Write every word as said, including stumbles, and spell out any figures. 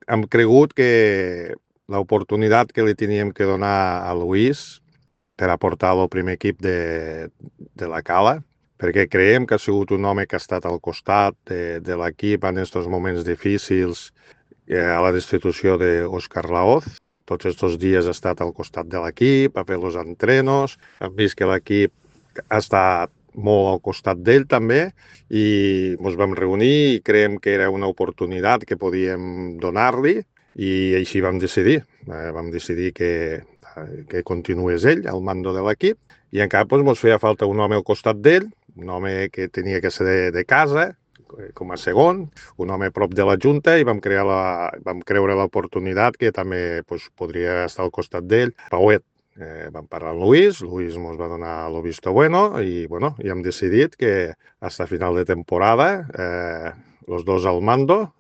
hem cregut que l'oportunitat que li teníem que donar a Luis per aportar el primer equip de, de la Cala, perquè creiem que ha sigut un home que ha estat al costat de, de l'equip en aquests moments difícils, eh, a la destitució d'Òscar Laoz. Tots aquests dies ha estat al costat de l'equip, ha fet els entrenos, hem vist que l'equip ha estat molt al costat d'ell també i ens vam reunir i creiem que era una oportunitat que podíem donar-li i així vam decidir. Eh, vam decidir que, que continués ell al mando de l'equip i encara doncs, ens feia falta un home al costat d'ell, un home que tenia que ser de, de casa, com a segon, un home a prop de la Junta i vam, crear la, vam creure l'oportunitat que també pues, podria estar al costat d'ell. Pauet, eh, vam parlar amb Luis, Luis ens va donar el visto bueno i, bueno, i hem decidit que fins a final de temporada eh, los dos al mando